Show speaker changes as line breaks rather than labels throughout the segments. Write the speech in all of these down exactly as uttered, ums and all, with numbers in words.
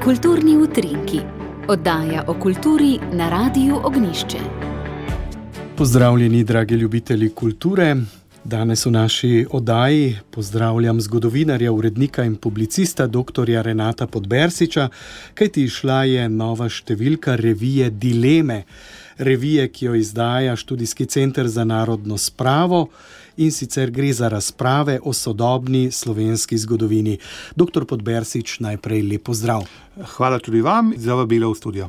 Kulturni utrinki, oddaja o kulturi na Radiu Ognjišče.
Pozdravljeni, dragi ljubitelji kulture. Danes v naši oddaji pozdravljam zgodovinarja, urednika in publicista doktorja Renata Podbersiča, kajti izšla je nova številka revije Dileme, revije, ki jo izdaja Študijski center za narodno spravo, in sicer gre za razprave o sodobni slovenski zgodovini. Doktor Podbersič, najprej lep pozdrav.
Hvala tudi vam za vabilo v studio.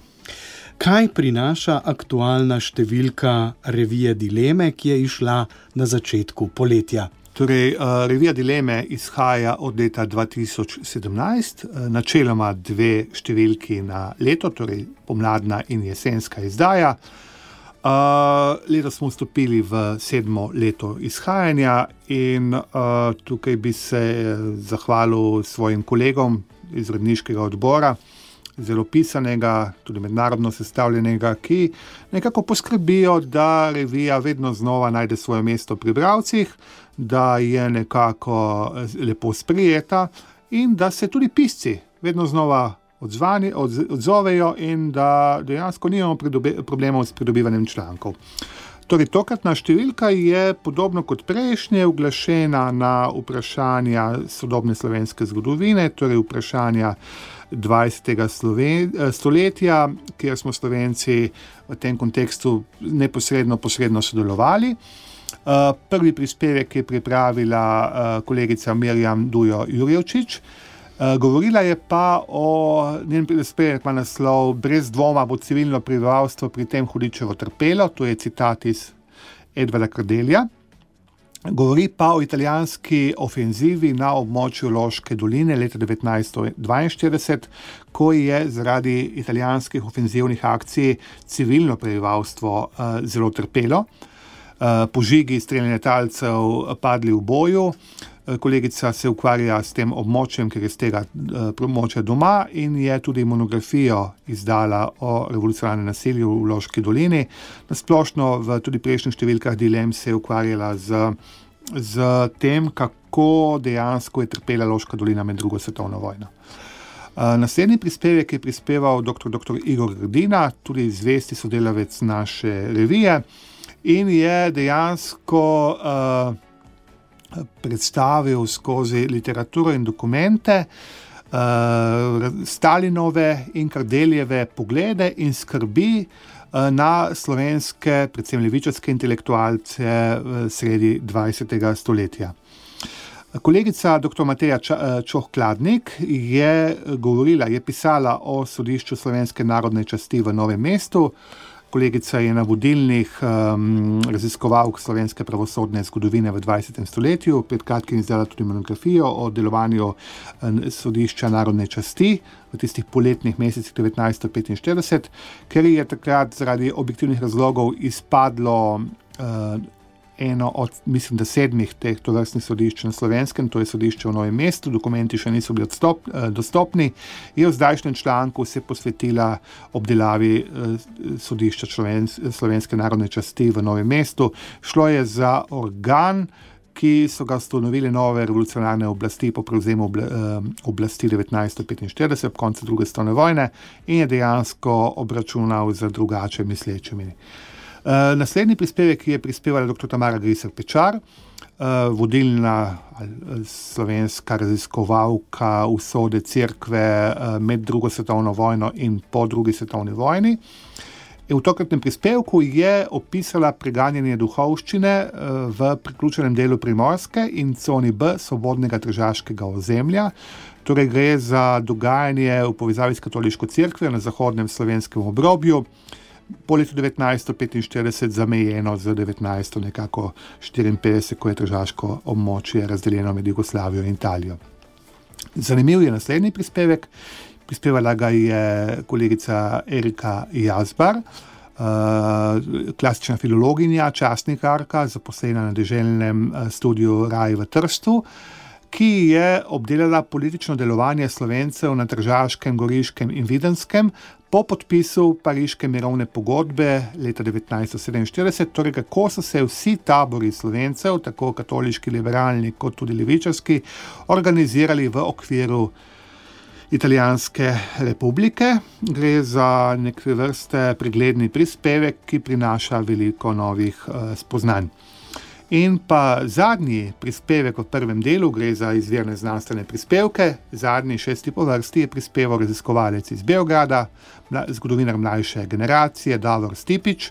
Kaj prinaša aktualna številka revije Dileme, ki je izšla na začetku poletja?
Torej, revija Dileme izhaja od leta dva tisoč sedemnajst, načeloma dve številki na leto, torej pomladna in jesenska izdaja. Uh, letos smo vstopili v sedmo leto izhajanja in uh, tukaj bi se zahvalil svojim kolegom iz uredniškega odbora, zelo pisanega, tudi mednarodno sestavljenega, ki nekako poskrbijo, da revija vedno znova najde svoje mesto pri bralcih, da je nekako lepo sprijeta in da se tudi pisci vedno znova odzvani, odz, odzovejo in da dejansko nimamo pridobe, problemov s pridobivanjem člankov. Torej, tokratna številka je podobno kot prejšnje uglašena na vprašanja sodobne slovenske zgodovine, torej vprašanja dvajsetega stoletja, kjer smo Slovenci v tem kontekstu neposredno, posredno sodelovali. Prvi prispevek je pripravila kolegica Mirjam Dujo Jurjevčič. Govorila je pa o, njen prispevek ima naslov Brez dvoma bo civilno prebivalstvo pri tem hudičevo trpelo, to je citat iz Edvarda Kardelja. Govori pa o italijanski ofenzivi na območju Loške doline leta devetnajststo dvainštirideset, ko je zaradi italijanskih ofenzivnih akcij civilno prebivalstvo uh, zelo trpelo. Uh, požigi, streljanje talcev padli v boju. Kolegica se ukvarja s tem območjem, ker je z tega območja doma in je tudi monografijo izdala o revolucionarnem nasilju v Loški dolini. Nasplošno v tudi prejšnjih številkah Dilem se je ukvarjala z, z tem, kako dejansko je trpela Loška dolina med drugo svetovno vojno. Naslednji prispevek je prispeval doktor doktor Igor Grdina, tudi zvesti sodelavec naše revije, in je dejansko uh, predstavil skozi literaturo in dokumente uh, Stalinove in Kardeljeve poglede in skrbi uh, na slovenske, predvsem levičarske intelektualce uh, sredi dvajsetega stoletja. Kolegica doktor Mateja Čoh-Kladnik je govorila, je pisala o sodišču slovenske narodne časti v Novem mestu. Kolegica je na vodilnih um, raziskovalk slovenske pravosodne zgodovine v dvajsetem stoletju, pred kratkim izdala tudi monografijo o delovanju um, sodišča narodne časti v tistih poletnih mesecih devetnajststo petinštirideset, ker je takrat zaradi objektivnih razlogov izpadlo uh, eno od, mislim, da sedmih teh tovrstnih sodišč na Slovenskem, to je sodišče v Novem mestu, dokumenti še niso bili odstop, eh, dostopni, je v zdajšnjem članku se posvetila obdelavi eh, sodišča Slovens, slovenske narodne časti v Novem mestu. Šlo je za organ, ki so ga ustanovili nove revolucionarne oblasti po prevzemu obla, eh, oblasti devetnajststo petinštirideset ob koncu druge svetovne vojne in je dejansko obračunal z drugače mislečimi. Uh, naslednji prispevek je prispevala doktor Tamara Griser-Pečar, uh, vodilna slovenska raziskovalka usode cerkve uh, med drugo svetovno vojno in po drugi svetovni vojni. V tokratnem prispevku je opisala preganjanje duhovščine uh, v priključenem delu Primorske in coni B svobodnega tržaškega ozemlja. Torej gre za dogajanje v povezavi s katoliško cerkvijo na zahodnem slovenskem obrobju, po letu devetnajststo petinštirideset zamejeno z devetnajststo nekako štiriinpetdeset, ko je tržaško območje razdeljeno med Jugoslavijo in Italijo. Zanimiv je naslednji prispevek. Prispevala ga je kolegica Erika Jazbar, uh, klasična filologinja, časnikarka, zaposlena na deželnem uh, studiu Raj v Trstu, ki je obdelala politično delovanje Slovencev na Tržaškem, Goriškem in Videnskem po podpisu Pariške mirovne pogodbe leta devetnajststo sedeminštirideset, torej kako so se vsi tabori Slovencev, tako katoliški, liberalni kot tudi levičarski, organizirali v okviru Italijanske republike. Gre za neke vrste pregledni prispevek, ki prinaša veliko novih uh, spoznanj. In pa zadnji prispevek v prvem delu, gre za izvirne znanstvene prispevke, zadnji šesti po vrsti je prispeval raziskovalec iz Beograda, zgodovinar mlajše generacije, Davor Stipič,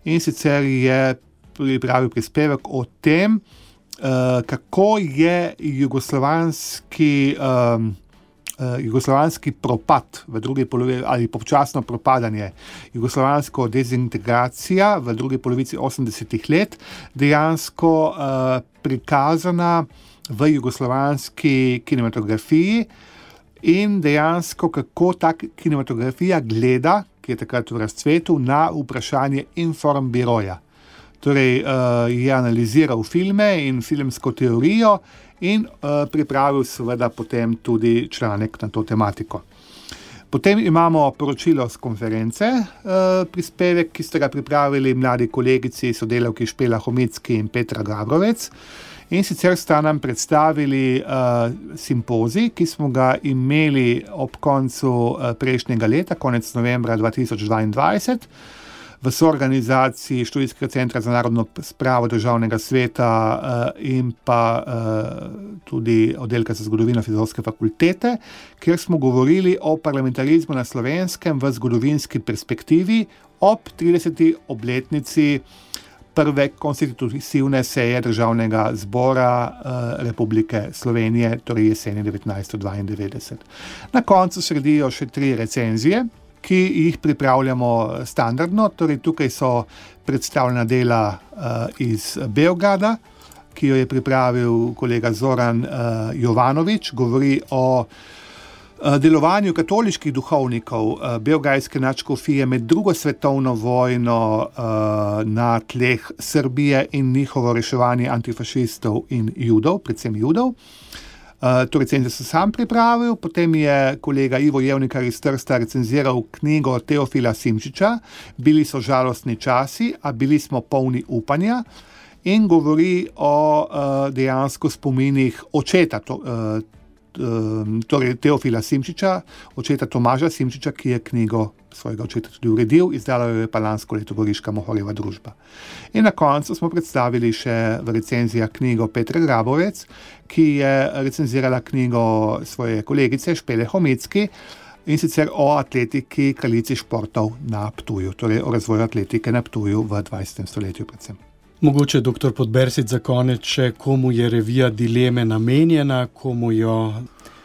in sicer je pripravil prispevek o tem, uh, kako je jugoslovanski um, Uh, jugoslovanski propad v drugi polovici ali počasno propadanje, jugoslovansko dezintegracija v drugi polovici osemdesetih let dejansko uh, prikazana v jugoslovanski kinematografiji in dejansko kako ta kinematografija gleda, ki je takrat v razcvetu, na vprašanje informbiroja. Torej uh, je analiziral filme in filmsko teorijo in uh, pripravil seveda potem tudi članek na to tematiko. Potem imamo poročilo z konference, uh, prispevek, ki ste ga pripravili mladi kolegici, sodelavki Špela Homicki in Petra Gabrovec. In sicer sta nam predstavili uh, simpozij, ki smo ga imeli ob koncu uh, prejšnjega leta, konec novembra dva tisoč dvaindvajset, v soorganizaciji Študijskega centra za narodno spravo Državnega sveta uh, in pa uh, tudi oddelka za zgodovino Filozofske fakultete, kjer smo govorili o parlamentarizmu na Slovenskem v zgodovinski perspektivi ob trideseti obletnici prve konstitutivne seje Državnega zbora uh, Republike Slovenije, torej jeseni devetnajststo dvaindevetdeset. Na koncu sredijo še tri recenzije, ki jih pripravljamo standardno, torej tukaj so predstavljena dela uh, iz Beograda, ki jo je pripravil kolega Zoran uh, Jovanovič, govori o uh, delovanju katoliških duhovnikov uh, beograjske nadškofije med drugo svetovno vojno uh, na tleh Srbije in njihovo reševanje antifašistov in judov, predvsem judov. Uh, to recenzijo sem sam pripravil, potem je kolega Ivo Jevnikar iz Trsta recenziral knjigo Teofila Simčiča, Bili so žalostni časi, a bili smo polni upanja, in govori o uh, dejansko spominih očeta, to, uh, uh, torej Teofila Simčiča, očeta Tomaža Simčiča, ki je knjigo svojega očeta tudi uredil, izdala jo je pa lansko leto Goriška Mohorjeva družba. In na koncu smo predstavili še v recenzijah knjigo Petre Grabovec, ki je recenzirala knjigo svoje kolegice Špele Homicki, in sicer o atletiki, kraljici športov na Ptuju, torej o razvoju atletike na Ptuju v dvajsetem stoletju predvsem.
Mogoče, doktor Podbersič, za konec še, komu je revija Dileme namenjena, komu jo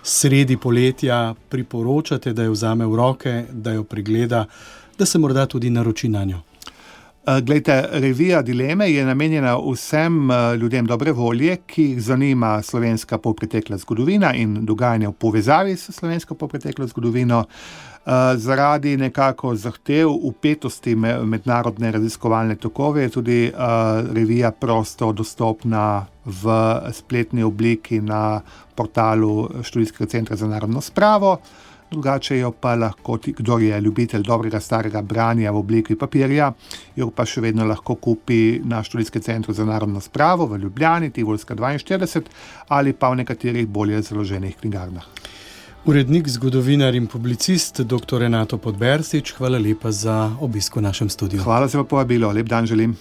sredi poletja priporočate, da jo vzame v roke, da jo pregleda, da se morda tudi naroči na njo?
Glejte, revija Dileme je namenjena vsem ljudem dobre volje, ki jih zanima slovenska polpretekla zgodovina in dogajanje v povezavi s slovensko polpreteklo zgodovino. Zaradi nekako zahtev vpetosti mednarodne raziskovalne tokove je tudi revija prosto dostopna v spletni obliki na portalu Študijskega centra za narodno spravo. Drugače jo pa lahko, kdor je ljubitelj dobrega starega branja v obliki papirja, jo pa še vedno lahko kupi na Študijskem centru za narodno spravo v Ljubljani, Tivolska dvainštirideset, ali pa v nekaterih bolje založenih knjigarnah.
Urednik, zgodovinar in publicist doktor Renato Podbersič, hvala lepa za obisk v našem studiu.
Hvala za povabilo, lep dan želim.